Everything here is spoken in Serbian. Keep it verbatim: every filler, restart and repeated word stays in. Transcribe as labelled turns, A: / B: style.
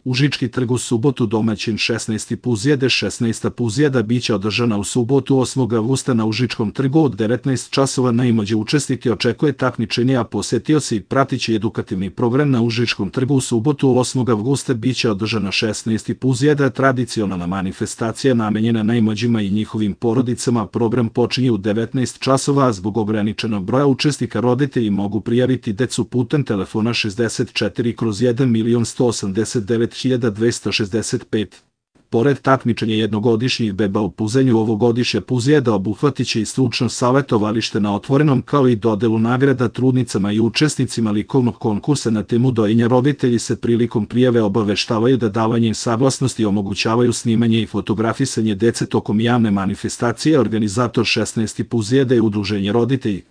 A: Užički trg u subotu domaćin šesnaesti Puzjede šesnaesta Puzjeda biće održana u subotu osmog avgusta na Užičkom trgu od devetnaest časova. Najmlađe učesnike očekuje takmičenje, a posetioci i pratići edukativni program na Užičkom trgu u subotu osmog avgusta biće održana šesnaesti Puzjeda, tradicionalna manifestacija namenjena najmlađima i njihovim porodicama. Program počinje u devetnaest časova, a zbog ograničenog broja učesnika roditelji mogu prijaviti decu putem telefona šezdeset četiri kroz jedan milion sto osamdeset devet hiljada dvesta šezdeset pet. Pored takmičenja jednogodišnjih beba u puzenju, ovogodišnja Puzjeda obuhvatiće i stručno savjetovalište na otvorenom, kao i dodelu nagrada trudnicama i učesnicima likovnog konkursa na temu dojenja. Roditelji se prilikom prijave obaveštavaju da davanjem saglasnosti omogućavaju snimanje i fotografisanje dece tokom javne manifestacije. Organizator šesnaeste Puzjede je Udruženje roditelji.